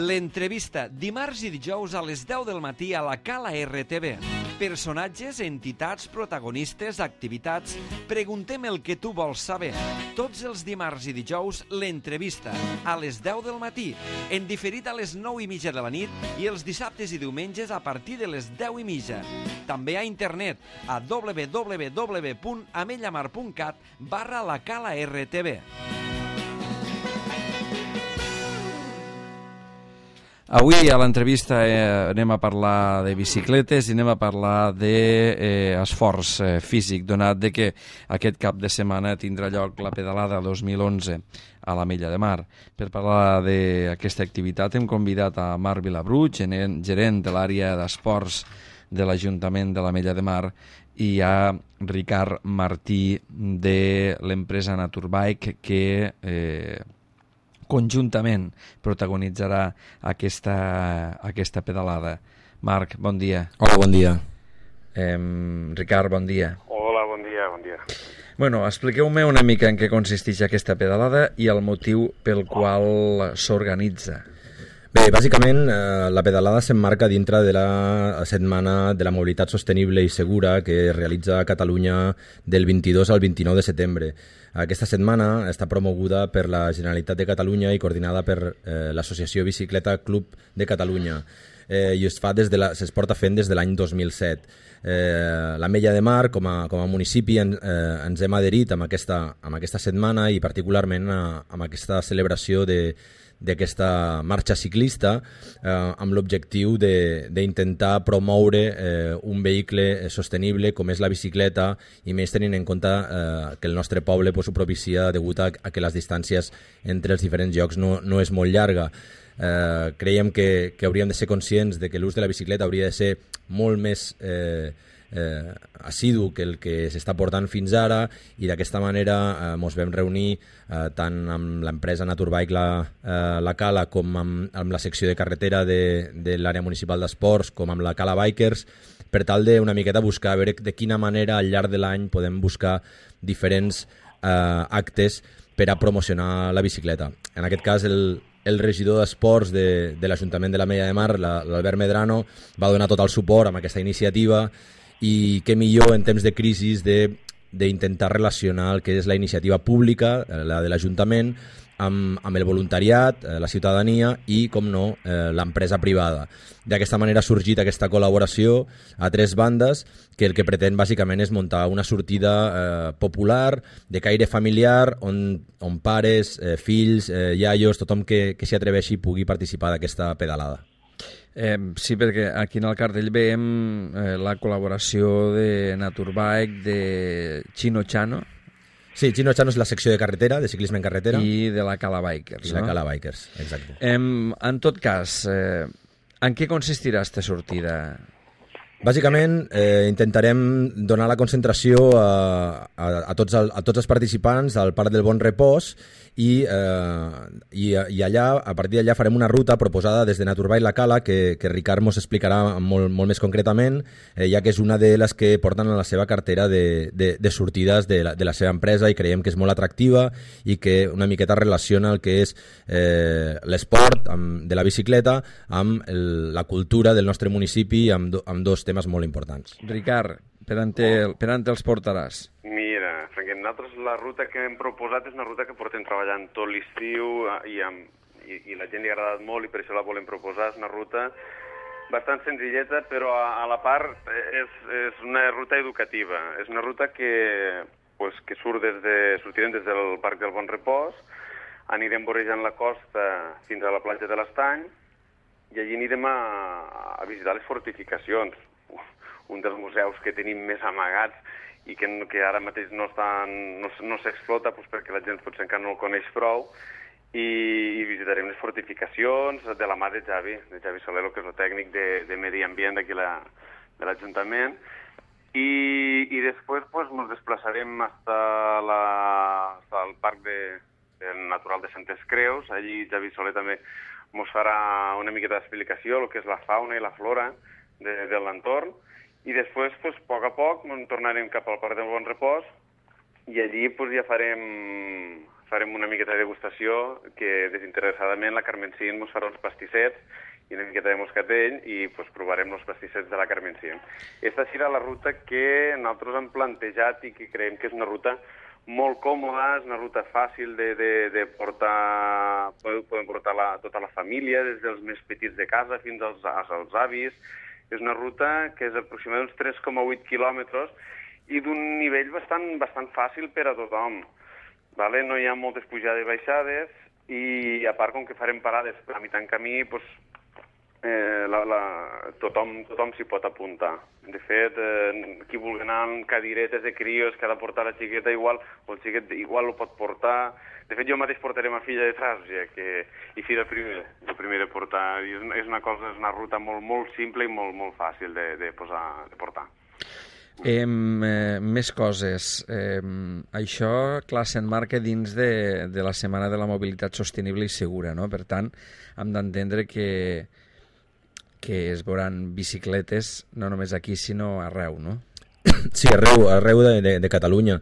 L'entrevista, dimarts i dijous a les 10 del matí a la Cala RTV. Personatges, entitats, protagonistes, activitats... Preguntem el que tu vols saber. Tots els dimarts i dijous, l'entrevista, a les 10 del matí, en diferit a les 9:30 de la nit i els dissabtes i diumenges a partir de les 10:30. També a internet, a www.amellamar.cat/la Cala RTV. Avui a l'entrevista anem a parlar de bicicletes i anem a parlar d'esforç físic, donat de que aquest cap de setmana tindrà lloc la pedalada 2011 a l'Ametlla de Mar. Per parlar d'aquesta activitat hem convidat a Marc Vilabruig, gerent de l'àrea d'esports de l'Ajuntament de l'Ametlla de Mar, i a Ricard Martí de l'empresa Naturbike, que conjuntament protagonitzarà aquesta pedalada. Marc, bon dia. Hola, bon dia. Ricard, bon dia. Hola, bon dia, bon dia. Bueno, expliqueu-me una mica en què consisteix aquesta pedalada i el motiu pel qual s'organitza. Bé, bàsicament la pedalada s'emmarca dintre de la Setmana de la Mobilitat Sostenible i Segura que es realitza a Catalunya del 22 al 29 de setembre. Aquesta setmana està promoguda per la Generalitat de Catalunya i coordinada per l'Associació Bicicleta Club de Catalunya i es porta fent des de l'any 2007. L'Ametlla de Mar, com a municipi, ens hem adherit amb aquesta setmana i particularment amb aquesta celebració d'aquesta marxa ciclista amb l'objectiu d'intentar promoure un vehicle sostenible com és la bicicleta, i més tenint en compte que el nostre poble ho propicia degut a que les distàncies entre els diferents llocs no és molt llarga. Creiem que hauríem de ser conscients de que l'ús de la bicicleta hauria de ser molt més assidu que el que s'està portant fins ara, i d'aquesta manera ens vam reunir tant amb l'empresa Naturbike la Cala com amb la secció de carretera de l'àrea municipal d'esports com amb la Cala Bikers, per tal d'una miqueta buscar a veure de quina manera al llarg de l'any podem buscar diferents actes per a promocionar la bicicleta. En aquest cas el regidor d'Esports de l'Ajuntament de l'Ametlla de Mar, l'Albert Medrano, va donar tot el suport amb aquesta iniciativa, i què millor en temps de crisi d'intentar relacionar el que és la iniciativa pública, la de l'Ajuntament, amb el voluntariat, la ciutadania i, com no, l'empresa privada. D'aquesta manera ha sorgit aquesta col·laboració a tres bandes que el que pretén bàsicament és muntar una sortida popular, de caire familiar, on pares, fills, iaios, tothom que s'hi atreveixi pugui participar d'aquesta pedalada. Sí, perquè aquí en el cartell veiem la col·laboració de Naturbike, de Chino Chano. Sí, Chino Chano és la secció de carretera, de ciclisme en carretera. I de la Cala Bikers. I la Cala Bikers, exacte. En tot cas, en què consistirà aquesta sortida? Bàsicament intentarem donar la concentració a tots els participants al Parc del Bon Repòs, i allà, a partir d'allà farem una ruta proposada des de Naturbike la Cala que Ricard ens explicarà molt més concretament, ja que és una de les que porten a la seva cartera de sortides de la seva empresa, i creiem que és molt atractiva i que una miqueta relaciona el que és l'esport de la bicicleta amb la cultura del nostre municipi, amb dos temes molt importants. Ricard, per on te'ls portaràs? Mira, Franquet, nosaltres la ruta que hem proposat és una ruta que portem treballant tot l'estiu i la gent li ha agradat molt, i per això la volem proposar. És una ruta bastant senzilleta, però a la part és una ruta educativa. És una ruta que sortirem des del Parc del Bon Repòs, anirem vorejant la costa fins a la platja de l'Estany, i allí anirem a visitar les fortificacions, un dels museus que tenim més amagats i que ara mateix no s'explota perquè la gent potser encara no el coneix prou, i visitarem les fortificacions de la mà de Javi Solero, que és el tècnic de medi ambient d'aquí de l'Ajuntament, i després ens desplaçarem fins al Parc Natural de Santes Creus. Allí Javi Soler també ens farà una miqueta d'explicació el que és la fauna i la flora de l'entorn, i després, a poc a poc, tornarem cap al Parc del Bon Repòs, i allí ja farem farem una miqueta de degustació, que desinteressadament la Carmen Cint ens farà uns pastissets i una miqueta de moscatell i pues, provarem els pastissets de la Carmen Cint. Aquesta serà la ruta que nosaltres hem plantejat i que creiem que és una ruta molt còmoda, és una ruta fàcil de portar, podem portar tota la família, des dels més petits de casa fins als avis. És una ruta que és aproximadament uns 3,8 quilòmetres i d'un nivell bastant fàcil per a tothom. Vale? No hi ha moltes pujades i baixades i a part com que farem parades a mitjan camí, pues, tothom s'hi pot apuntar. De fet, qui vulgui anar amb cadiretes de crios que ha de portar la xiqueta igual, o el xiquet igual ho pot portar. De fet, jo mateix portaré ma filla detrás, i fira el primer de portar. I és una ruta molt simple i molt fàcil de portar. Més coses. Això, clar, s'emmarca dins de la Setmana de la Mobilitat Sostenible i Segura, no? Per tant, hem d'entendre que es veuran bicicletes no només aquí, sinó arreu, no? Sí, arreu de Catalunya.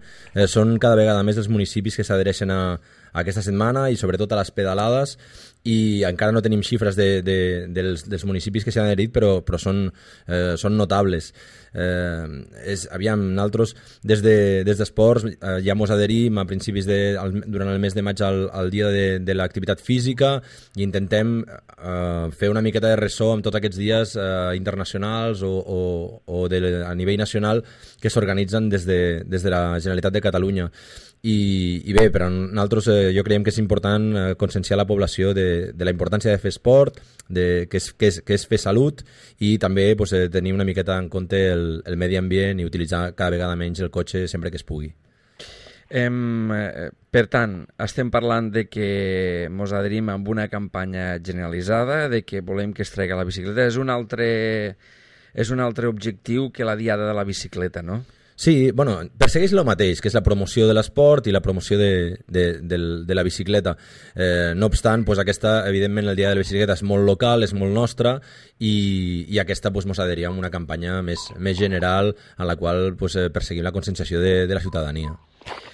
Són cada vegada més els municipis que s'adhereixen a aquesta setmana i sobretot a les pedalades, i encara no tenim xifres dels municipis que s'hi han adherit, però són notables. Aviam, nosaltres des d'esports ja mos adherim a principis durant el mes de maig al dia de l'activitat física i intentem fer una miqueta de ressò amb tots aquests dies internacionals o a nivell nacional que s'organitzen des de la Generalitat de Catalunya. I bé, per a nosaltres jo creiem que és important conscienciar la població de la importància de fer esport, que és fer salut, i també tenir una miqueta en compte el medi ambient i utilitzar cada vegada menys el cotxe sempre que es pugui. Per tant, estem parlant de que mos adherim amb una campanya generalitzada, de que volem que es tregui la bicicleta. És un altre objectiu que la Diada de la Bicicleta, no? Sí, bueno, persegueix el mateix, que és la promoció de l'esport i la promoció de la bicicleta. No obstant, aquesta, evidentment, el dia de la bicicleta és molt local, és molt nostra, i aquesta mos adheria a una campanya més general en la qual perseguim la conscienciació de la ciutadania.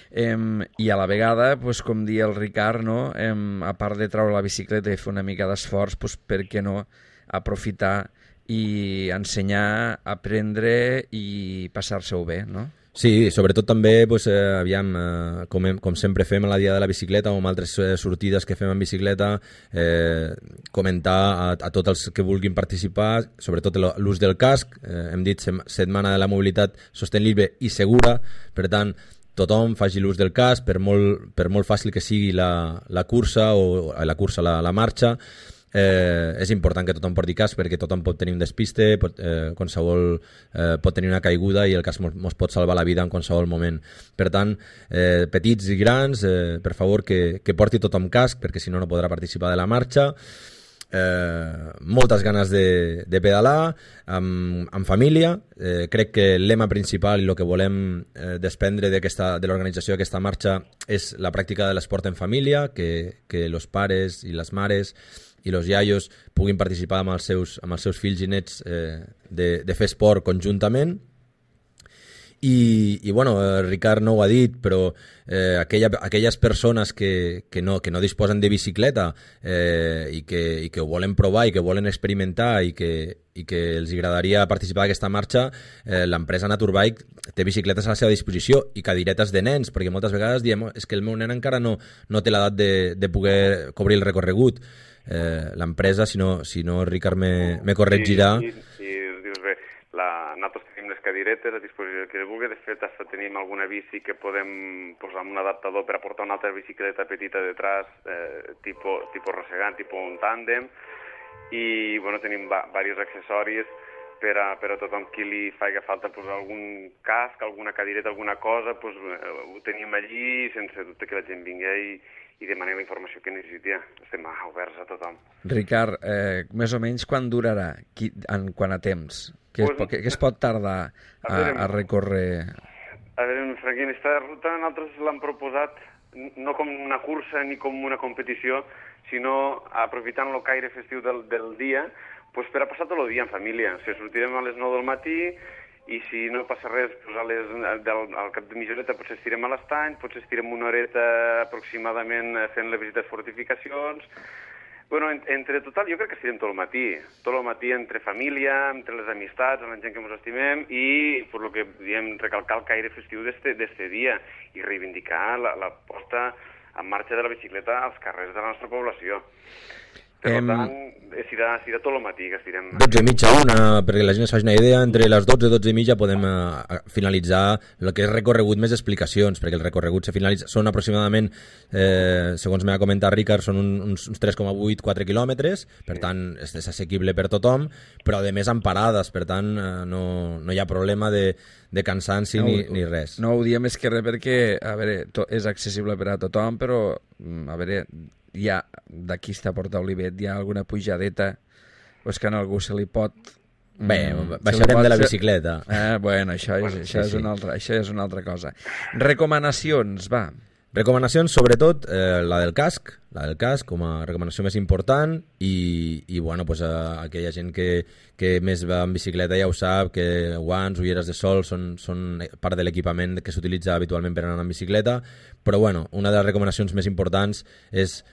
I a la vegada, com dia el Ricard, no? A part de treure la bicicleta i fer una mica d'esforç, per què no aprofitar i ensenyar, aprendre i passar-se-ho bé, no? Sí, sobretot també, aviam, com sempre fem a la Dia de la Bicicleta o amb altres sortides que fem en bicicleta, comentar a tots els que vulguin participar, sobretot l'ús del casc. Hem dit Setmana de la Mobilitat Sostenible i Segura, per tant, tothom faci l'ús del casc, per molt fàcil que sigui la cursa o la marxa. És important que tothom porti casc perquè tothom pot tenir un despiste, qualsevol pot tenir una caiguda i el casc ens pot salvar la vida en qualsevol moment. Per tant, petits i grans, per favor que porti tothom casc, perquè si no podrà participar de la marxa. Moltes ganes de pedalar amb família. Crec que el lema principal i el que volem desprendre de l'organització d'aquesta marxa és la pràctica de l'esport en família, que els pares i les mares i els iaios puguin participar amb els seus fills i nets de fer esport conjuntament. I bueno, Ricard no ho ha dit, però aquelles persones que no disposen de bicicleta i que ho volen provar i que volen experimentar i que els agradaria participar d'aquesta marxa, l'empresa Naturbike té bicicletes a la seva disposició i cadiretes de nens, perquè moltes vegades diem és que el meu nen encara no té l'edat de poder cobrir el recorregut. L'empresa, si no Ricard me corregirà. Sí, dius bé, nosaltres tenim les cadiretes a disposició que vulgui. De fet, hasta tenim alguna bici que podem posar amb un adaptador per a portar una altra bicicleta petita detrás, tipus rossegant, tipus un tàndem, i bueno, tenim diversos accessoris per a tothom qui li faci falta posar algun casc, alguna cadireta, alguna cosa, ho tenim allí sense dubte que la gent vingui i demanem la informació que necessiti. Estem oberts a tothom. Ricard, més o menys quan durarà, quant a temps? Què es pot tardar a recórrer? A veure, Franquín, aquesta ruta nosaltres l'hem proposat no com una cursa ni com una competició, sinó aprofitant el caire festiu del dia, per a passar tot el dia en família. Sortirem a les 9 del matí i si no passa res, doncs al cap de mitja horeta potser estirem a l'estany, potser estirem una horeta aproximadament fent les visites fortificacions. Bueno, entre total, jo crec que estirem tot el matí entre família, entre les amistats, amb la gent que ens estimem i, per lo que diem, recalcar el caire festiu d'este dia i reivindicar la posta en marxa de la bicicleta als carrers de la nostra població. Per tant, serà tot el matí que estirem. 12:30, 1, perquè la gent es faci una idea, entre les 12 i 12:30 podem finalitzar el que és recorregut més explicacions, perquè el recorregut se finalitza, són aproximadament, segons m'ha comentat Ricard, són uns 3,8-4 quilòmetres, per tant és assequible per tothom, però a més amb parades, per tant no hi ha problema de cansanci ni res. No ho diem més que res perquè, a veure, és accessible per a tothom, però, a veure, d'aquí està a Porta Olivet, hi ha alguna pujadeta, o és que a algú se li pot... Bé, baixarem de la bicicleta. Bueno, això és una altra cosa. Recomanacions, va. Recomanacions, sobretot, la del casc com a recomanació més important i bueno, pues, aquella gent que més va en bicicleta ja ho sap, que guants, ulleres de sol són part de l'equipament que s'utilitza habitualment per anar en bicicleta, però bueno, una de les recomanacions més importants és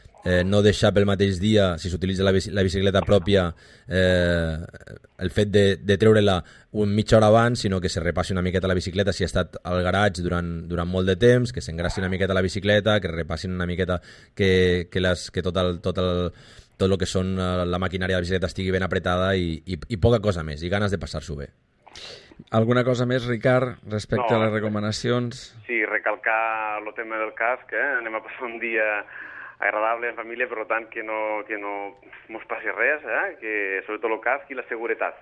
no deixar pel mateix dia, si s'utilitza la bicicleta pròpia, el fet de treure-la mitja hora abans, sinó que se repassi una miqueta la bicicleta si ha estat al garatge durant molt de temps, que s'engrassi una miqueta la bicicleta, que repassin una miqueta que tot el que són la maquinària de la bicicleta estigui ben apretada i poca cosa més, i ganes de passar-s'ho bé. Alguna cosa més, Ricard, respecte a les recomanacions? Sí, recalcar el tema del casc, anem a passar un dia agradable en família, per tant que no mos passi res, que sobretot el casc i la seguretat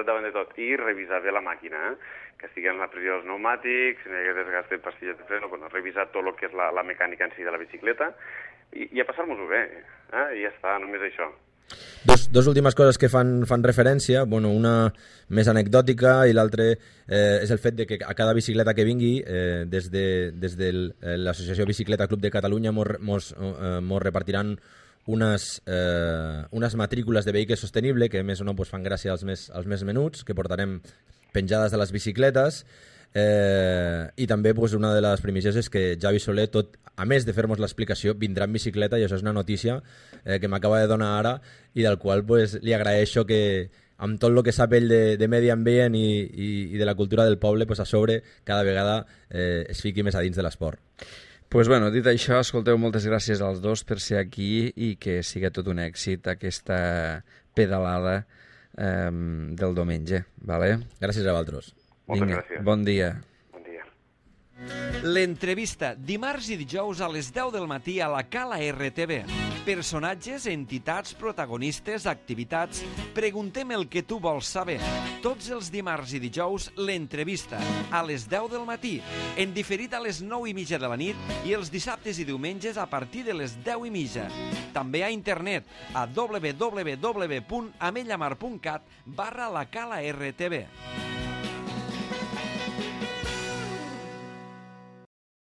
davant de tot, i revisar bé la màquina, que estigui en la pressió dels pneumàtics, si no hi ha desgast de pastilles de freno, revisar tot el que és la mecànica en si de la bicicleta i a passar-nos-ho bé, i ja està, només això. Dos últimes coses que fan referència, bueno, una més anecdòtica i l'altra és el fet de que a cada bicicleta que vingui, des de l'Associació Bicicleta Club de Catalunya mos repartiran unes matrícules de vehicle sostenible que més o no fan gràcia als més menuts, que portarem penjades de les bicicletes. I també una de les primícies és que Javi Soler, a més de fer-nos l'explicació, vindrà en bicicleta, i això és una notícia que m'acaba de donar ara i del qual li agraeixo que amb tot el que sap ell de medi ambient i de la cultura del poble, a sobre cada vegada es fiqui més a dins de l'esport. Pues bueno, dit això, escolteu, moltes gràcies als dos per ser aquí i que sigui tot un èxit aquesta pedalada del diumenge, vale? Gràcies a vosaltres. Moltes gràcies. Bon dia. Bon dia. L'entrevista, dimarts i dijous a les 10 del matí a la Cala RTV. Personatges, entitats, protagonistes, activitats... Preguntem el que tu vols saber. Tots els dimarts i dijous, l'entrevista, a les 10 del matí, en diferit a les 9:30 de la nit i els dissabtes i diumenges a partir de les 10:30. També a internet, a www.amellamar.cat/la Cala RTV.